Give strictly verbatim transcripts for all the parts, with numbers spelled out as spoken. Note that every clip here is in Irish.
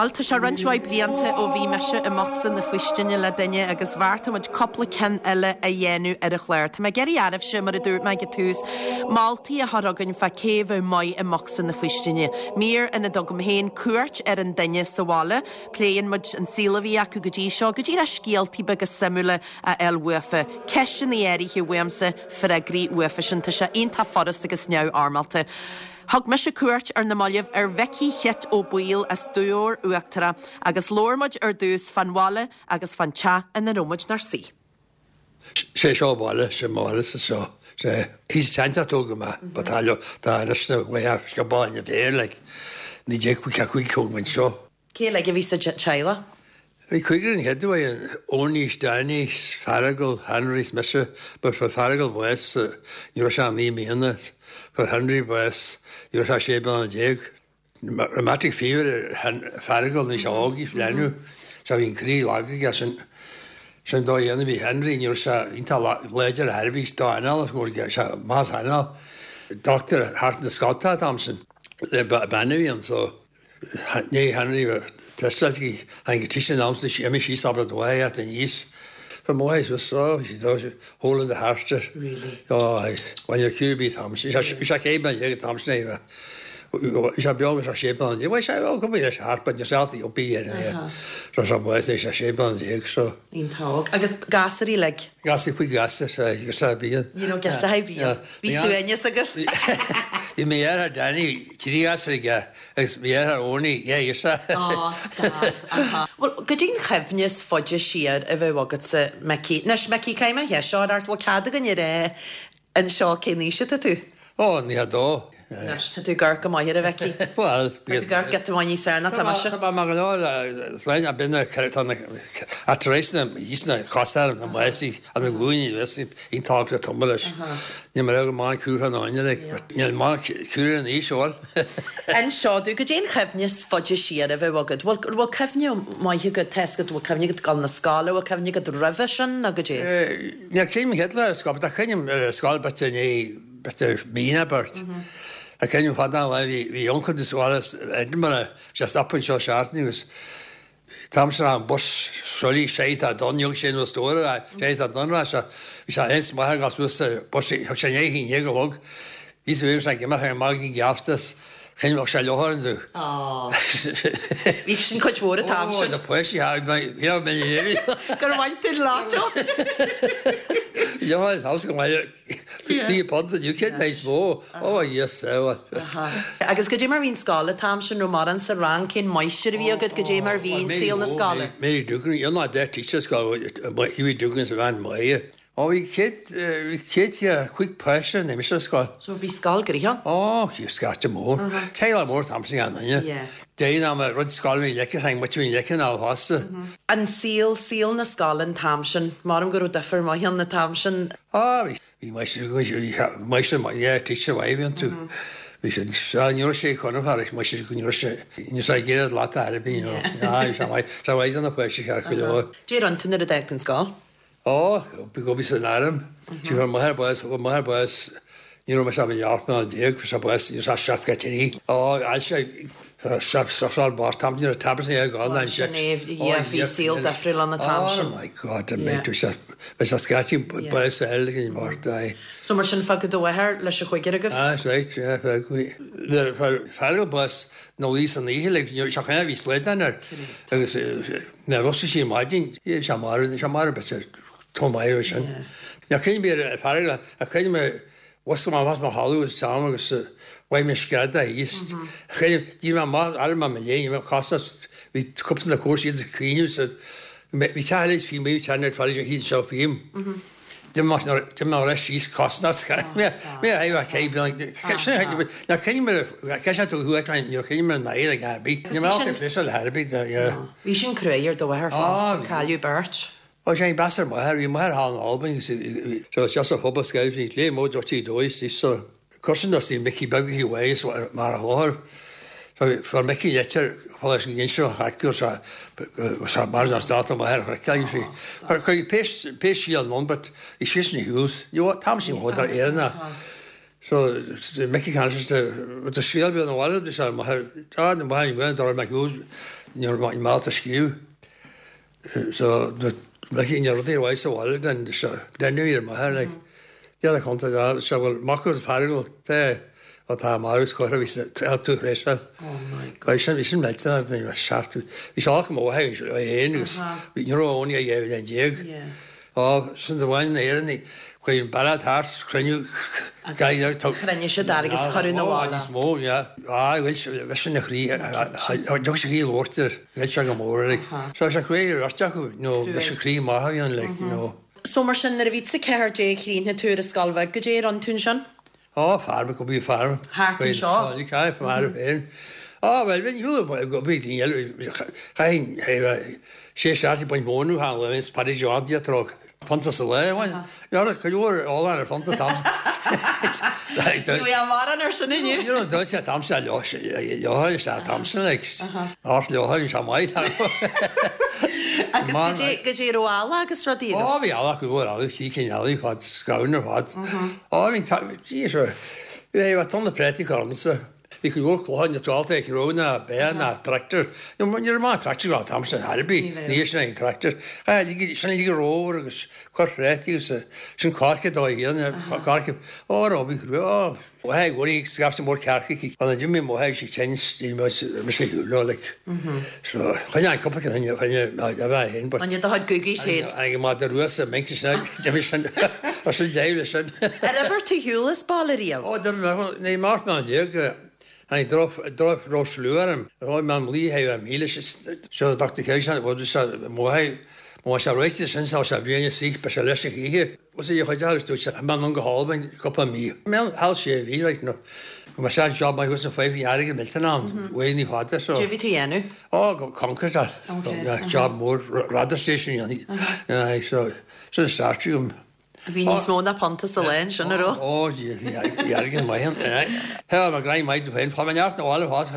Bhuel, tá sé roinnt mhaith blianta ó bhí mise i mbocsa na faoistine le duine agus bheartaigh muid cúpla ceann eile a dhéanamh ar an chlár. Tá mé ag iarraidh oraibhse mar a dúirt mé ag an tús, moltaí a chur chugainn fá cé a bheadh maith i mbocsa na faoistine. Mír ina dtugaim féin cuairt ar an duine sa bhaile, pléann muid an saol a bhí acu go dtí seo, go díreach scéaltaí beaga suimiúla a fháil uafa. Ceisteanna áirithe uaimse, freagraí uafa sin tá sé iontach furast agus neamhfhoirmeálta. Thug mise cuairt ar na mallaibh ar Mhicí Chit Ó Baoill as Dobhar Uachtarach agus labhair muid ar dtús fán bhaile agus fán teach ina raibh muid inár suí. Sé seo baile sé máile sa seo sé hí teanta tó me ba tá tá na scabáine féir le ní dé chu chuig chuig seo. Cé le a bhí sa teaghlach? Bhí cúigear an chéad Owenie, Danny, Feargal, Henry mise, but fuair Feargal bás ní raibh sé naoi mbliana, fuair Henry bás ní raibh sé sé bliana déag. Rheumatic fever Feargal ní sé óg leanú, so bhí an croí lag aige sin sin dó dhéanamh bhí Henry ní raibh sé iontach láidir ar bith dá anáil sé más anáil. Doctor thart na Scotá Thompson le bean a bhí ann so ní Henry Tesla an tí an am si sí sabre dóha at an níos. For mo was so si hole in the heart. Really? Oh, when you're cúr bí tam sé cé ag tam é sé beag sé sé an dé sé go bí leis heart, but yourself op bí sé sé sé sé an déag so. Iontach agus gasúir le. Gas chuig gas sé go sa bí. You know gas a bhí. Bhí suaimhneas agat. Bhí mé ar Danny trí gas aige agus bhí ar Owenie é se. Well, go dtí an chuimhne is faide siar a bheith agatsa Micí. Anois Micí céim a seo art bhfuil cead againn a rá anseo cén aois atá tú? Ó ní dó. Anois tá tú gar go maith ar a Mhicí. Well gar get bhain níos ná tá mise. Tá mar lein a binne a tar na hísna chasar na meisi an na glúine iontach le tumma leis. Ní mar go má cútha náine le ní má cú an í seol. Anseo tú go dtí an chuimhne is faide siar a bheith agat. Bhfuil bhfuil cuimhne maith agat tesgad bhfuil cuimhne agat gal na scoile, bhfuil cuimhne agat roimhe sin nó go dtí? Ní céim Hitler ar scoil, tá cuimhne ar scoil b'fhéidir ní b'fhéidir mína beirt. A céim fada le bhí bhí uncail de scoil Edinburgh just up anseo seachtain agus Tam sin an bus soí sé a don jog sé nó stór sé a don sé bhí sé eens maith gas bus thug sé né hin go log. Bhí sé sé go ar mag geaftas chin sé leathan du. Bhí sin chuid mhór tam sin. Na poisi Gur bhain tú látó. Ja haus go Bhí pod you can nice mó ó yes Agus go dé mar bhín scoil tam sin nó mar an sa rang cén máistir a bhí agat go dé mar bhín saol na scoile. Mary Dugan you're not that teacher scoil Hughie Dugan sa bhean maith. Ó bhí céad bhí céad chuig páiste na mis scoil. So bhí scoil gnoitheach? Ó bhí scata mór. Teaghlach mór tam sin an duine. Dé ná rud scoil bhí leice ag muid bhí leice ná fásta. An saol saol na scoile an t-am sin, mar go raibh difear maith an na t-am sin. Á bhí bhí máistir yeah teacher mhaith bhí tú. Bhí sé ní raibh sé chun fear mu sé go sé ní sé géad lá ar bí sé sé mhaith na páistí ceart go leor. Dé an tine a an scoil? Ó bí go bí san arm, Sí bhar maith bás maith bás ní raibh sé bheart ná déag sé bás ní sé seacht trí. Ó sé se bar tam ní tab é gáil an sé. Bhí saol difriúil an t-am sin. Oh my God a méid sé sé scatí bás eile gin mar So mar sin fágadh do mháthair leis a chúigear agaibh? Ah right Feargal bás nó lí san oíche le se chu bhí slédan ar agus na rossa sí maidin sé mar sé mar be tó maith sin. Ja cin bí feargal a chuid me was ma was ma halu is tam agus bhaid me screada íst. Chuid dí ma ar ma me lé me chastas bhí cúpla na cuair siad cuioine sa bhí teile fi mé tenar fa hí seo fim. Dim ná leis síos cosnas mé é cé na cin ce tú thu ní cin na ag gabi. Ní me le herbí. Bhí sin cruaidh ar do mháthair fosta cailleadh beirt. Ó sé bas mar bhí mar há Albain so just a phobal scoil bhí lé mód tí dóis is so Cursin as tí Mickey Beag hí ways mar a láthair. So fuair Mickey leitir leis an gin hacu sa mar an stát mar her sí. Par chu pé sí an non, but i sí ní hús. Jo tam sin hód ar éana. So Mickey Kansas the scéal bí an bhile de sé mar na bhain bhain dar me ní má a scríú. So Mickey ní rudaí bhaid sa bhile den den ar mar like the conta se bhfuil mac Feargal te atá mar chu bhí tú réise. Oh sin bhí sin me seacht bhí se mó héin agus bhí ní óní a dhéh den déag. Á sin de bhain éan chuir ballad thart cruinniú Chruinne se agus chuú na níos mó á bhfuil sin na chrí dug se chi lortar bhil se go mór So se chuir rotechu nó bhí se chrí maith an le nó. So mar sin nuair a bhí sa ceathair déag chríonta tú ar scoil bheag goidé an tún sin? Á farm go bí farm. Thart anseo? Cá farm féin. Á well bhí go bí chain sé seacht point mónú ha le is Paddy John dia trog. Punta sa le Ja go leor all ar punta tam. Bhí an mar ar sin inniu? You know dá sé tam se leo leo sé tam sin like Art leo sé maith. Agus goidé raibh eala agus rudaí agat? Á bhí eala go bhfuil eala sí cinn eala fad scabhann ar fad. Á bhí bhí tonna préataí ormsa. Bhí go leor clocha na tuáta ag ró na bé na tractor. Ní raibh maith tractor á tam sin Herbie ní sin aon tractor. Sin lí róir agus cur préataí agus sin cáirce dá dhéanamh cáirce á rá bhí á Hei góí scaifte mór cearcha an a dúmi mó sé ten mis sé like. So chuine an cúpla chuine a bheith hin. An do gugaí sé? An má de ruas a mé sin sin sin déile sin. Ar obair tú shiúl as baile riamh? Ó ní mar man déag Hann drof drof rosluarm Roi man lí hei am míle seo Dr. Kéis bhd mó Má sé réite sin sé bliana si be sé leis ihe. Was é chuid tú se man an go hálbain cúpla mí. Me hall sé bhí no. Ma sé job mai hus an five jaarige milten aan. Mm ní fada so. Dé bhí tú dhéanamh? Ó go Concord job mór radar station so so start um Bhí níos mó ná punta sa lá sin a rá? Ó dheargan maith He mar grein maith féin fa neart na bhile fás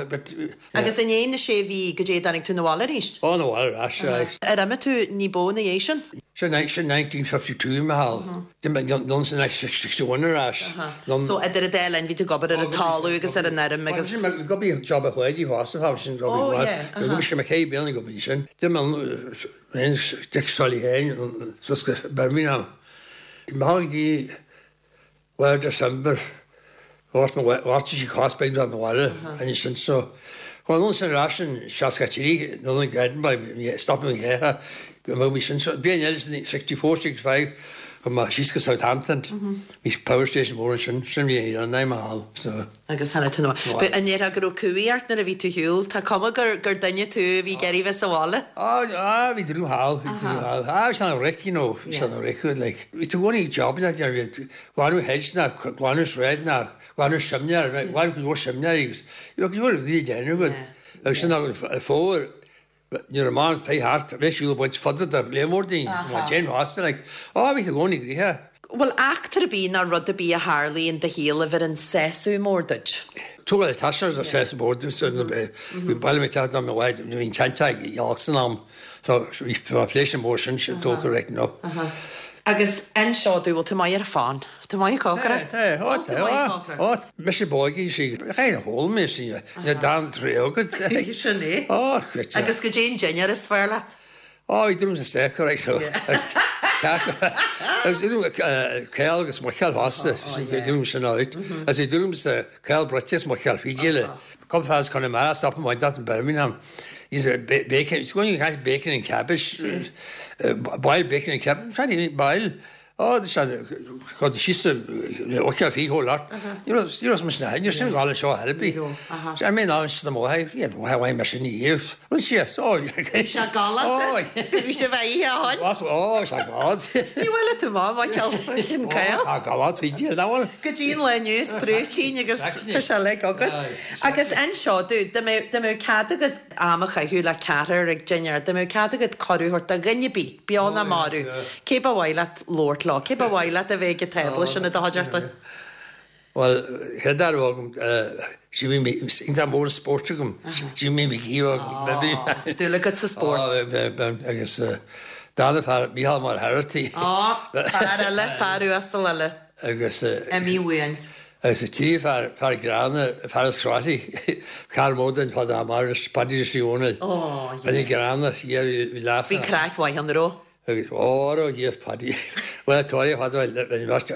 Agus in éon na sé bhí go dé danig tú na bhile arís? Ó na bhile ras Ar imigh tú ní bó na dhéis sin? Sin sin nineteen fifty two me hall. Don sin sixty one ar ais. So idir a dá linn bhí tú ag obair ar an talamh agus ar an fheirm agus. Go bí job a chléidí fásta fá sin go bí go sé me cé bí go bí sin. Dim an Dick Sully Hain Birmingham. Má dí lár December bhart sí cospeid an bhile an sin so. Chuan san ras sin seasca trí nó an Edinburgh stop me here go bhí sin so bí eile sixty four sixty five go ma síos go Southampton bhí power station mór sin sin bhí an naim hall so. Agus hena tú Be an ndéarfá go raibh cumhaidh ort nuair a bhí tú shiúl tá cuma gur gur duine tú a bhí ag iarraidh bheith sa bhaile? Á á bhí drú hall bhí drú hall á bhí san ric you know bhí san ric like bhí tú gcónaí job na bhí glanadh hedge na glanadh shred na glanadh simnear glanadh go leor simnear agus bhí go leor rudaí déanamh agat agus sin ag an fómhar Ní raibh man fé thart, bhí siúl baint fada de léimórdín, má déan bhásta, like, á, bhí tú gcónaí gríotha. Bhfuil eachtra ar bith ná rud ar bith a tharlaigh in do shaol a bhí an sásamh mór duit? Tugadh le taisneach do sásamh mór duit, so bhí baile mé teacht am i bhfad, bhí an teannta ag Ealach san am, so bhí pléisiúr mór sin, sin tógtha right up. Agus inis domh, bhfuil tú maith ar an phan? Tú maith ag cócaireacht? Tá, tá, tá, tá. Mise bógaí sí, chaith a hól mé sí, ní dan trí agat. Sin é. Ó, chruite. Agus goidé an dinnéar is fearr leat? Ó, bhí drúm sa steak, right, so. Agus drúm céal agus muiceall fosta, drúm sin áit. Agus bhí drúm sa céal bruite is muiceall fídíle. Cúpla fear as Conamara, stop an dat in Birmingham. He's a bacon, he's going to have bacon and cabbage, uh, boiled bacon and cabbage, trying to eat boil. Oh, this is the she's okay fi whole lot. You know, you know some snag, you see all show happy. I mean, I'm just the more yeah, why why machine years. Well, yes, oh, Sé gala. Bhí sé bheith a Was oh, sé gala. Ní bhfuil tú má má ceil cail. Tá gala trí dí da bhfuil. Go dtí an lá inniu brúitín agus tá sé le agat. Agus inis domh dá mbeadh cead agat am a chaitheamh le ceathrar ag dinnéar, dá mbeadh cead agat cuireadh a thabhairt do dhuine ar bith, beo ná marbh. Cé ba mhaith leat labhairt leo, cé ba mhaith leat a bheith ag tábla sin i do chuideachta? Well, chéad fhear agam, sí mé iontach mór spórt agam, sí mé mé gíomh. Dúil agat sa spórt. Agus dána fear Mícheál Mar Herity. Á, fear eile, fear uasal eile. Agus Emí uain. Agus a trí fear fear gránna fear scráí car módan fad mar Paddy Siúna. Oh, yeah. Bhí gránna bhí le. Bhí craic mhaith an raibh? Agus ó dhíos Paddy. Le tóir fad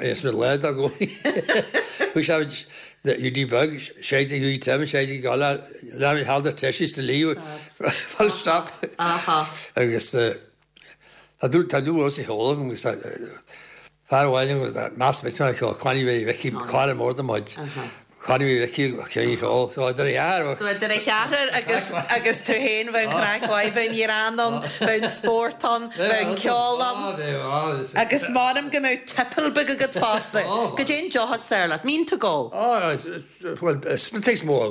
is mé le a gcóí. Thu se U D bug sé U tem sé gala le halda teis de líú full stop. Agus Tá dú tá dú os hóla agus fear amháin mas me chuí bhí cá mór muid. Chuí bhí cé hall so idir a So idir a cheathrar agus agus tú féin, bheith craic mhaith, bheith greann ann, bheith spórt ann, bheith ceol ann. Agus maram go mbeadh tipple beag agat fosta. Go dtéann deoch soir leat, mbíonn tú ag ól. Smith mó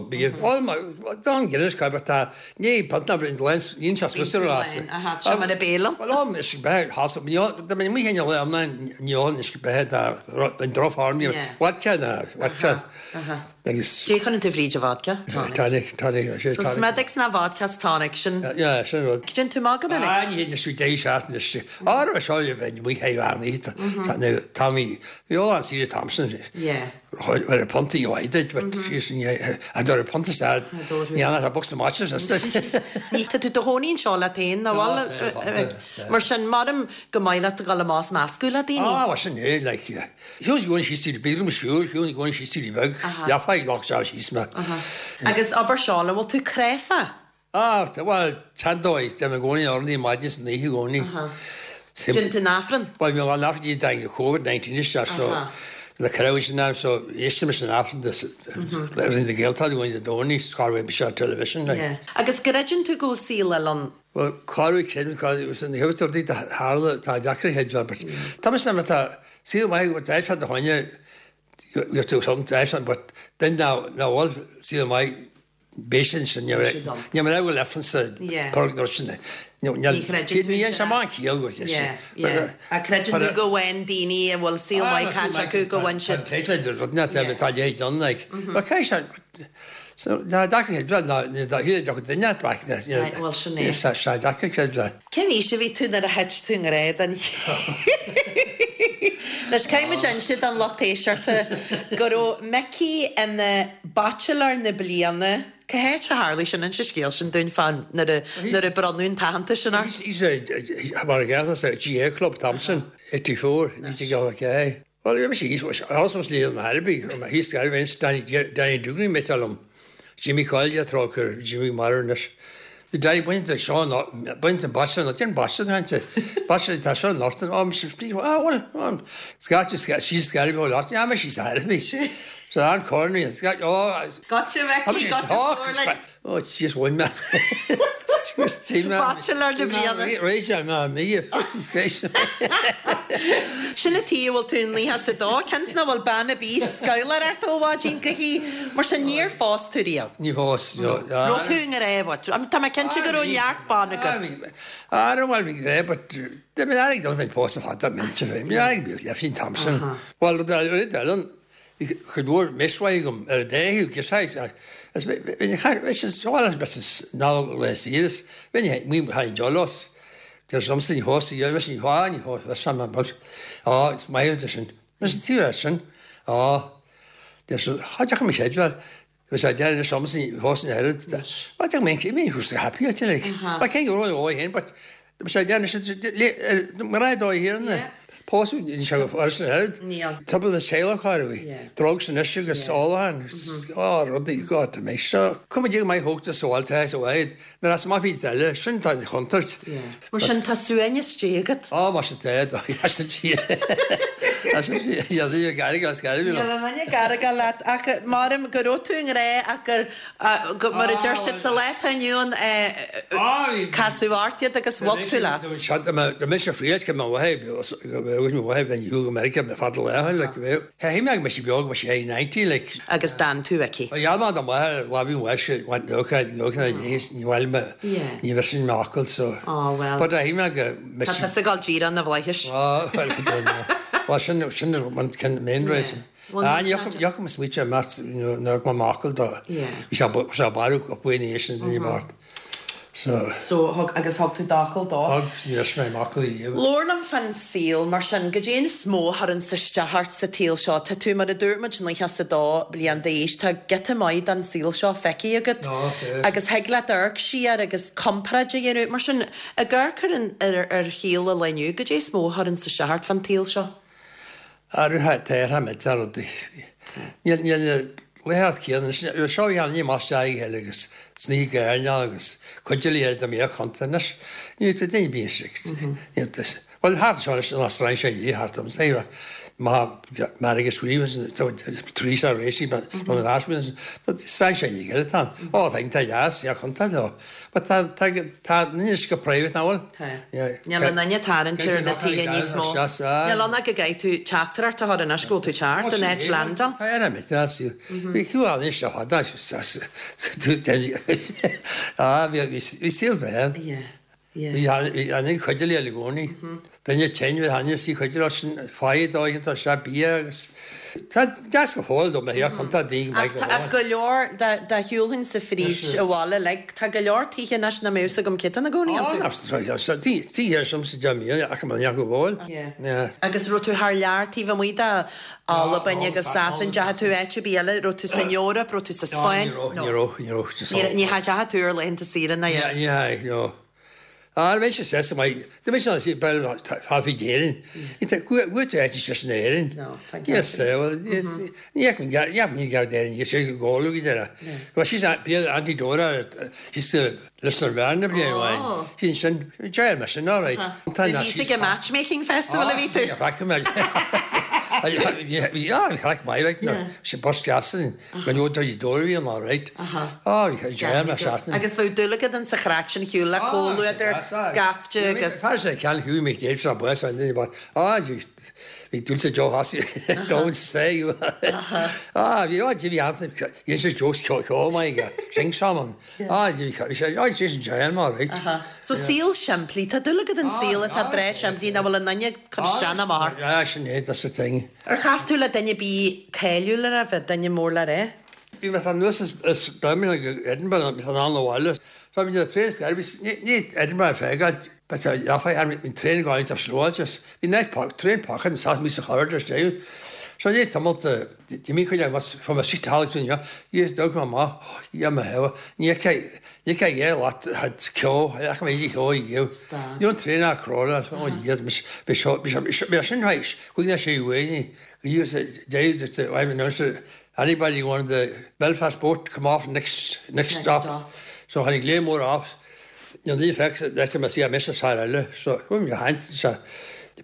don Guinness ca tá ní panta lens níon se swiss. Seo mar a bélam. Well is be has mé mí hen le am níon is be an drofarm vodka na vodka. Agus Dé chun tú fríd a vodka? Tonic, tonic. So Smithwick's na vodka tonic sin. Yeah, sin rud. Cén tú má go minic? Ah, ní na sú dé seat na á seo bheith mu héhharní Tá bhí an sí Thompson. Yeah. Ar a ponta joid, but a dor a ponta stad ní an a box matches. Ní tá tú do chónaí anseo le féin na bhfuil mar sin maram go maith leat go le más meascú le daoine. Ah, sin é like Hiús gcóin sí tú bí siúr, hiú gcóin sí tú beg, Jafa lach se síos me. Agus abair seo, bhfuil tú cráite? Ah, well tandóid de me gcónaí ornaí maidin san oíche gcónaí. Déanann tú an Aifreann? Well mi an Aifreann dang COVID nineteen is so le crowd sin am so éiste sin Aifreann le de Gaeltacht going de Dóní scar be shot television like. Yeah. Agus greideann tú go saol eile ann? Well carú cin an hetar harla tá deacra head but Tá sem tá sí mai go dá de haine tú som but then now now all sí mai Beisin sin ní mar go lefan sa sin. Ní se má cíal go A creideann tú go bhfuil daoine a bhfuil saol maith caite acu go bhfuil siad. Rud tá lé don like. Cé se So na deacra duine back Well sin é. sé deacra le. Cén aois a bhí tú nuair a thit tú i ngrá den Leis caiimid siad an lucht éisteachta go raibh Mickey ina bachelor na bliana. Cá háit a tharla sin an scéal sin dúinn fan nuair a bronnadh an t-aitheantas sin ort? Mar a sa G A Club Thompson eighty-four ní go cé. Well, bhí sí was lí an Herbie hí gar Danny Danny Duggan metalum. Jimmy Coyle trócair Jimmy Marnis. The Danny bain de Sean bain an bachelor na den bachelor hante bachelor tá seo Norton am ah well scat sí scar go last ja sí Herbie. So an corny oh Gotcha Mickey, gotcha. Oh just one man. Bachelor na bliana. Réise má mí. Sin a tí bhfuil tú líthe sa dó cens na bhfuil banna bí scaolar ar tóháidín go hí mar sin níor phós tú riamh. Ní phós. Raibh tú i ngrá. Tá mé cinnte go raibh neart ban agat. I don't want to be there, but de mé aig don bheith pós fada mente fé. Mi aig bí le fin Thompson. Well Ellen chud mhór miswaigum ar déú go sé ná le síris bhí mí hain jolos. Der samste ní hos í ní há ní á is mé sin. Mis tú sin á cha me séidwell Bhí sé dean samste hos an mé mé chu happy a cé go ó hen, but sé dean mar dó hier. Pósadh ní sé go head. Tubal na séla chuí. Drugs an isise agus sáán á rudaí go mé seo. Cum dé mé thógta sáilta sa bhaid, nar as má bhí eile sin tá chontart. Mar sin tá suaimhneas Dé agat? Á mar sé Garga leat ach maram go raibh tú i ngrá ach gur mar a deir siad sa lá atá inniu ann casadh ort iad agus bhog tú leat. Tá mé se fríad go mé bheith go America be fad le like Hé me me si beag me sé ninety like. Agus d'fhan tú aici. Ja man da me la bí wes went no no ní bhfuil me ní bh sin meachal so. Oh well. But hé me go Tá tusa ag dul díreach na bhflaithis. Well sin sin man can main race. Ah Joachim switch a mat na ma makel da. Bhí sé sé barú a buin sin ní bart. So So thug agus thug tú d'fhocal dó. Thug níor mé m'fhocal riamh. Labhair liom fán saol mar sin, goidé an is mó a chuireann isteach ort sa tsaol seo. Tá tú mar a dúirt muid nócha is a dó bliain d'aois, tá giota maith den saol seo feicthe agat agus thig leat amharc siar agus comparáid a dhéanamh. Mar sin, ag amharc ar an ar ar shaol an lae inniu, goidé is mó a chuireann isteach ort fán tsaol seo? Athruithe atá millteach rudaí. Níl níl na laethanta céanna anois. Seo bhí an ní maith isteach ag agus sní gairne agus cuid de léir do mbeadh contae anois. Ní tú duine bíonn sé. Bhuel thart anseo anois ná strainséir ní thart orm say má margadh scríobh trí sa réisí an strainséir ní gile tá. Ó tá tá deas ja contae leo. But tá tá tá anois go private ná bhfuil? Níl an duine tarraingt ar na tithe níos mó. Níl ann ach go gcaithfidh tú teachtaireacht a chur anois go bhfuil tú ceart an áit landáil. Tá ar an Bhí chú anois a fada Ah bhí saol breá. Bhí an chuid le i gcónaí. Duine tinn bhí haine sí chuid leis sin fáid dóigh sé bia agus Tá deas go fóill dom a chun tá daoine maith go Tá go leor dá shiúlfainn sa fríd abhaile like tá go leor tithe anois nach mbeadh fhios agam cé tá ina gcónaí iontu. Tithe sem sa deich ach man go bhfuil. Agus raibh tú thar lear taobh amuigh de Albain agus Sasain, deachaigh tú áit ar bith eile, raibh tú san Eoraip, raibh tú sa Spáinn? Ní raibh, ní raibh. Ní deachaigh tú ar laethanta saoire ná. Ní hea, no. Ah, bhí sé sásta maith. Do bhí sé sé bel fáfi d'Éirinn. Go tú áit sé sin Éirinn. Yes, well, ní ní gab d'Éirinn, sé go gálu go deireadh. Bhí sí bí Auntie Dora sí leis an bhean na bliain amháin. Sin sin deir me sin all right. Tá bhí ag matchmaking festival a bhí tú? Chraic mé. Bhí chraic maith right no. Sé bus deasan go nó do Dora bhí an all right. Á bhí deir me seachtain. Agus bheadh dúil agat in sa chraic sin shiúl le comhluadar scaifte agus. Tá sé ceann thuí mé déibh sa bus an duine á bhí dúil sa Joe Hossie don't say you. Á bhí á bhí an dhein sé jokes ceol maith aige sing song á bhí sé á sé sin deir mar right. So saol simplí, tá dúil agat an saol atá breá simplí nach bhfuil an duine cur isteach ná amach. Ah sin é that's the thing. Ar chas tú le duine bí cáiliúil a raibh duine mór le rá? Bhí mé anuas as Birmingham go Edinburgh bhí an an bhaile. So bhí train scair ní ní Edinburgh feiceáil but ja fa an train going to slóáil bhí night park train park an sa mí sa chorridor dé. So ní tamalt d'imigh chuid mas fa ma sit hall ja yes dog ma ma ja ma he ní ke ní ke é lat had ceol ach mé ceol dhíu. Ní an train a cróla ó iad mis be seo be sin réis chuig na sé uaine go dé I know anybody wanted the Belfast boat come off next next stop. stop. So tháinig léim mór off. Ní ní feic leis me sí a mis fear eile, so chuim go haint se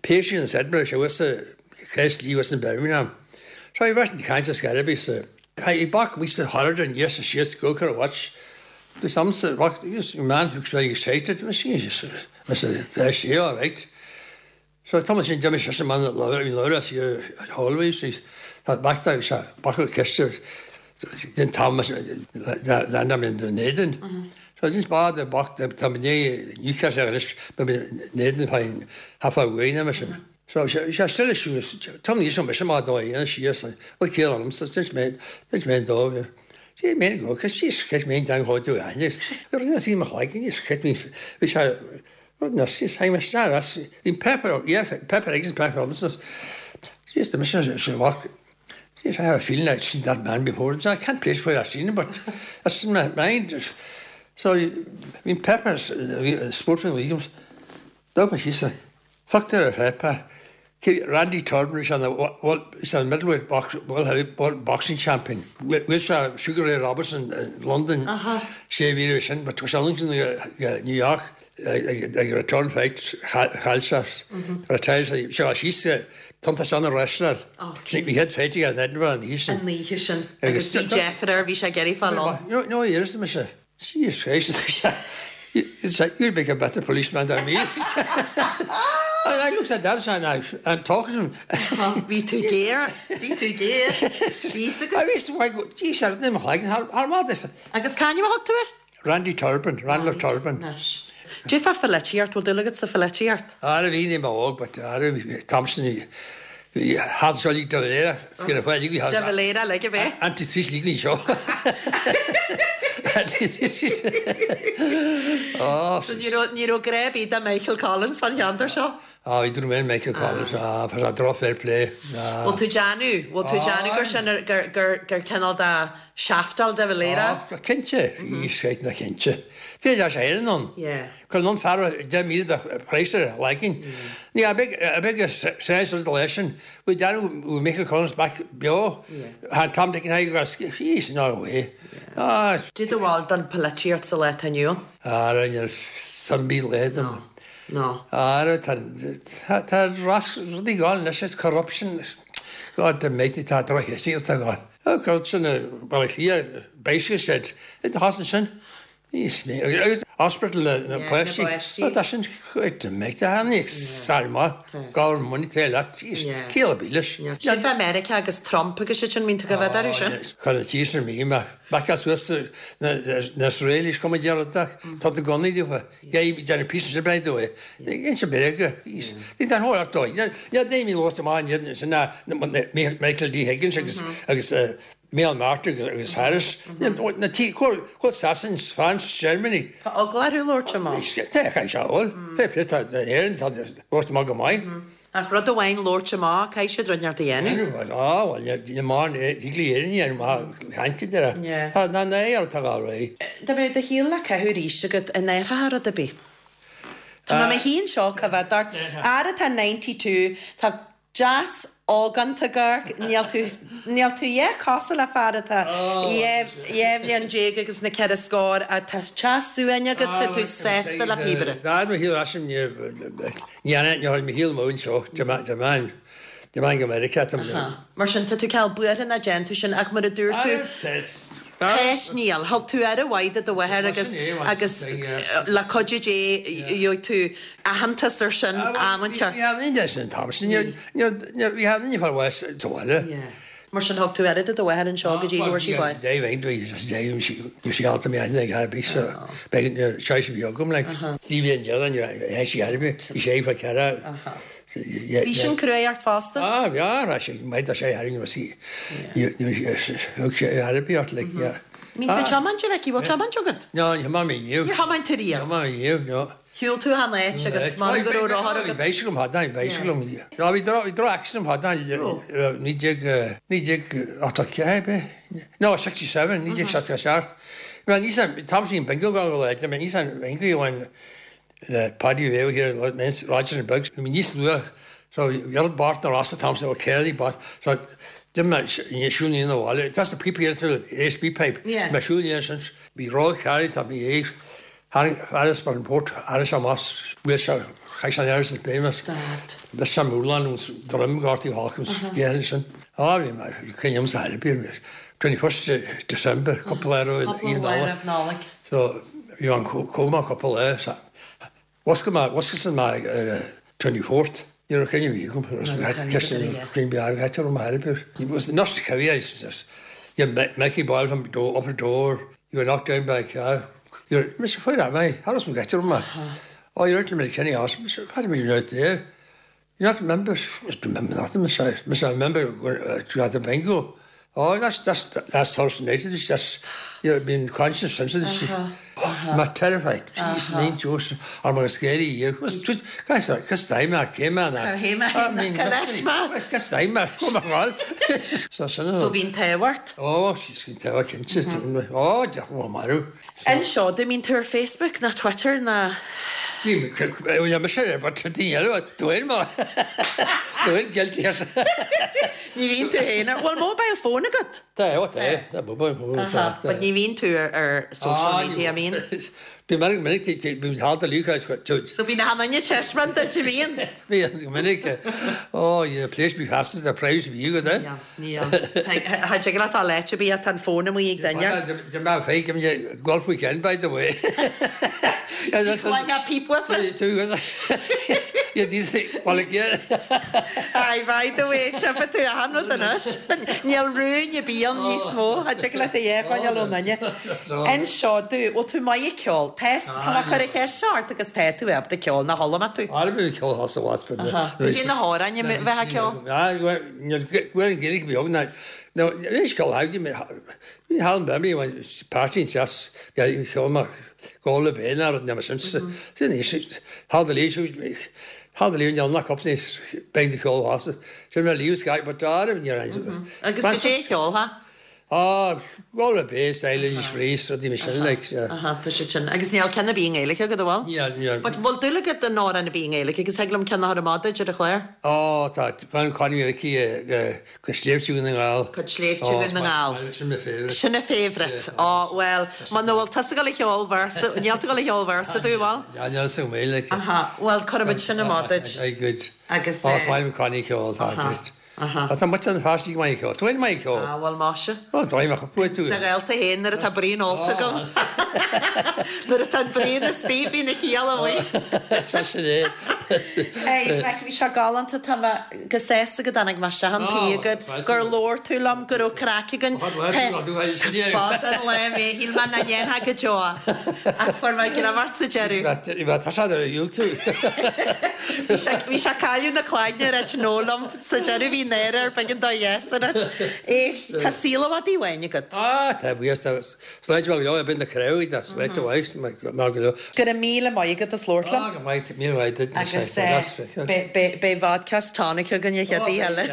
Péisi an Edinburgh sé was cés lí was in Birmingham. So I bheith caint scarabí sa I back we said Harrod and yes yes go car watch. There's some rock yes man looks very excited. Machine just Mr. sé all right. So Thomas sin Jimmy sin man that bhí leir sí hallways she's that back there se back ceiste den Thomas land am in Dunedin. So just ba de bach de tá né Newcastle anois Dunedin féin half away na sin. So sé sé still shoes Tom ní sem sem má dó an síos well cé am so just mé just mé dó. Sí mé go cos sí cos mé dan go tú anis. Rinne sí me like ní chet mé bhí sé na sí haim as in Pepper yeah Pepper eggs and Pepper Robinsons. Yes, the mission is work. Yes, I have a feeling I've seen that man before. So I can't place where I've seen him, but that's in my mind. So, I mean, Pepper's uh, Sportsman Williams. Dog she said, fuck there, Pepper. Randy Turner is on the well, is on the middleweight box, world heavy boxing champion. Wilshire Sugar Ray Robertson in London. Sé bhí sin, but was in New York ag return fight chaill sé retired sé síos tanta san an wrestler. Bhí head fighting in Edinburgh an oíche sin. An oíche sin. Agus bhí Jeff air bhí sé ag iarraidh fáil ann. No, no, here's the mise. Jesus Christ. It's like, you'd make a better policeman than me. And I looked at that and I and talking to him. Bhí tú géar, bhí tú géar. Bhí I bhí why go, geez, I didn't like har maith. Agus c'ainm a thug tú air? Randy Turpin, Randall Turpin. Dé fá filíocht, bhfuil dúil agat sa filíocht? Ara bhí ní óg, but ara Thompson had seo de Valera, De Valera le bheith? Anti trí ní seo. Oh, So ní raibh ní raibh grá ar bith do Michael Collins fan cheantar seo? Ah, bhí dúr Michael Collins, ah, fa dro fair play. Bhfuil tú déanamh, bhfuil tú déanamh gur sin gur gur gur cineál de shaftáil de léire? Cinnte, í sé na cinnte. Dé sé éan an. Yeah. Cur non fear de mí de preisar liking. Ní a big a big sense of the lesson. We down with Michael Collins back beo. Han Tom Dick and I go he's no way. Ah, Dú do bhil don polaitíocht sa lá atá inniu? ah, ar san bí le No. No. Ah, tá tá ras rudaí gáil leis is corruption. God the mate tá droch tá gáil. Corruption well here basically said it hasn't sin. Is me hospital na Yeah, páistí. na páistí. Tá sin chuid me a salma gá money te leat Yeah. céile bí leis. Sin fé America agus Trump agus sé sin mín tú go bheith air sin? Chu tí mí me Back as na na Israelis kom deach tá de gunnaí dúfa Gé déna pí se bre dó. In se berge Ní dan hóir dó. Ja dé mí lost amá sin na Michael D. Higgins agus agus Micheál Martin agus Harris na tí chuil Sasain France Germany. Tá eagla orthu labhairt amach. Tá cha se Fé tá éan tá lost má go maith. Ach rud amháin labhairt amach caithfidh siad rud inteacht a dhéanamh. Á well má thuigli éan má chainte Yeah. Tá na na tá gá ré. Dá mbeadh do shaol le caitheamh arís agat an n-athrófá rud ar bith. Tá mé híon seo ca bheith dart ar atá ninety-two tá deas óganta gar níl tú níl tú dhe cosúil le fear atá dhá bhliain déag agus na ceithre scór a tá teas suaine agat tá tú sásta le píobaire. Dá mo hí sin ní mi hí mó seo de man de man go America. Mar sin tá tú ceal buartha na déanú sin ach mar a dúirt tú Teis níl, thug tú aire mhaith do do mháthair agus agus le cuidiú Dé gheobhaidh tú aitheantas ar sin amanta. Bhí sin tam sin bhí ní far west tóile. Mar sin thug tú aire do do mháthair anseo go dtí go sí báis. Dé bhí sí alta mé ag arbí be sé bí agam le tí bhíon dean si arbí bhí sé fa ceara. Bhí sin cruaidh fosta? Ah, ja, sé mé sé ar sí sé arbí ort le. Mín tú tiomáint a bheith bhfuil tiomáint agat? No, ní má mé Níor thiomáin tú riamh? Má mé no. Shiúil tú an áit agus má go raibh rothar agat? Bicycle had na bicycle. Ja, bhí dro bhí dro accident had na ní déag ní déag ochtó ceathair No, sixty-seven, ní déag seasca seacht. Well, ní san tam sin bingo go go le, ní san bingo when the Paddy Vale here, Roger and Bugs. I mean, níos luath, so bhí Bart na Rossa Thompson ó Kelly, but so dim mé siúl ní na bhile. That's the P P through the A S B pipe. Yeah. Me siúl ní sin bhí ró carry tá bhí éig Harris bar an port Harris amach bhfuil se chaith an Harris bémas. Bes sem múlan ons drumgartí Hawkins yeah sin. Ah bhí mé cyn sa twenty-first December couple lá Cúpla lá roimh Nollaig. So bhí an cóma couple lá sa Wasca má wasca má twenty-fourth. Ní raibh cyn bhí gom cyn bí agad ar mar was not heavy Yeah, Mickey Boyle from door, up the door. You were knocked down by a car. You're, Mister Where am I? How does we get to him? Oh, you're out in the Kenny House. Mister How do we out there? You not remember? I remember nothing, Mister Mister I remember going uh, to the bingo. Oh, that's that's that's Thursday night. It's just you've been conscious since this. Uh-huh. Oh, uh-huh. terrified. Jeez, uh-huh. me, Joseph. I'm scary. You was guys, cos time I came man. I mean, cos time I come on. So so So bhí'n tewart? Oh, she's been tewart. Oh, ja, well, maru. Anseo, do mín tú ar Facebook na Twitter na Ní me sé but dí dúin má Dúin guilty. Ní bhíonn tú héana bhfuil mobile phone agat? Tá tá tá mobile phone. But ní bhíonn tú ar ar social media mín? Bí mar minic bí há lúcha. So bhí na hanne chessrun a bhíon? Bhí minic ó place be fast the price bí go de. Ha sé tá leite bí an fón mu ag duine? De má fé golf weekend by the way. Yeah, that's like a peep with it. Yeah, these well yeah. Aye, by the way, tefa tú a hanrod anois. Níl rún bíon níos mó, a de le é chuine lónaine. Anseo dú, bhfuil tú maith ag ceol, Tá tá má chur ce seart agus tá tú ab de ceol na holla tú. Á bhí ceol has was Dé na háraine bheith ceol? Gcuir an géidir beag na No, leis go bhí Hal Bemley party seas cheol go le bé ar sin sin Hal de lí Hal de lí na copní be de ceol has sin me líú sky but dar Agus go dé cheol ha? Ah, go le bé Silence Freeze rudí me sin like Aha, tá sé sin. Agus níl ceann ar bith i nGaeilge agat bhfuil? Níl, níl. But bhfuil dúil agat in amhrán ar bith i nGaeilge agus thig liom ceann a chur amach duit ar an chlár? Ó, tá fan Connie Mhicí go Sléibhte Dhún na nGall. Go Sléibhte Dhún na nGall. Sin mo favourite. Sin a favourite. Ó, well, muna bhfuil tusa ag gabháil a cheol véarsa, níl tú ag gabháil a cheol véarsa dú bhfuil? Ja, níl sa mé like. Aha, well, cuirfimid sin amach duit. Aye, good. Agus, Ó, is maith liom Connie ceol, tá, great. Tá muid an pháistí go maith ceol. Tú féin maith ceol. Ah, bhuel, maise. Ó, dóigh mé chuig tú. Na gaolta féin nuair atá braon ólta agam. Nuair atá an braon istigh bíonn a chiall amuigh. Tá sin é. Hey, Mike, bhí sé galánta, tá mé go sásta go dtáinig mé isteach an tí agat, gur labhair tú liom, go raibh craic againn. Fada an lá mé, shíl mé nach ndéanfá go deo. Ach fuair mé greim ort sa deireadh. Tá sé ar dhiúltú. Bhí sé cailleadh na clainne ar áit nó liom sa deireadh bhí náire air b'éigean dó yes a ráit. Éist, tá saol i bhfad uainn agat. Ah, tá, buíochas, tá sláinte mhaith go leor, b'in na craobh, tá sláinte mhaith mar go leor. Go raibh míle maith agat as labhairt liom. Ah, go maith, míle maith duit. Agus beidh vodka 's tonic againn an chéad oíche eile.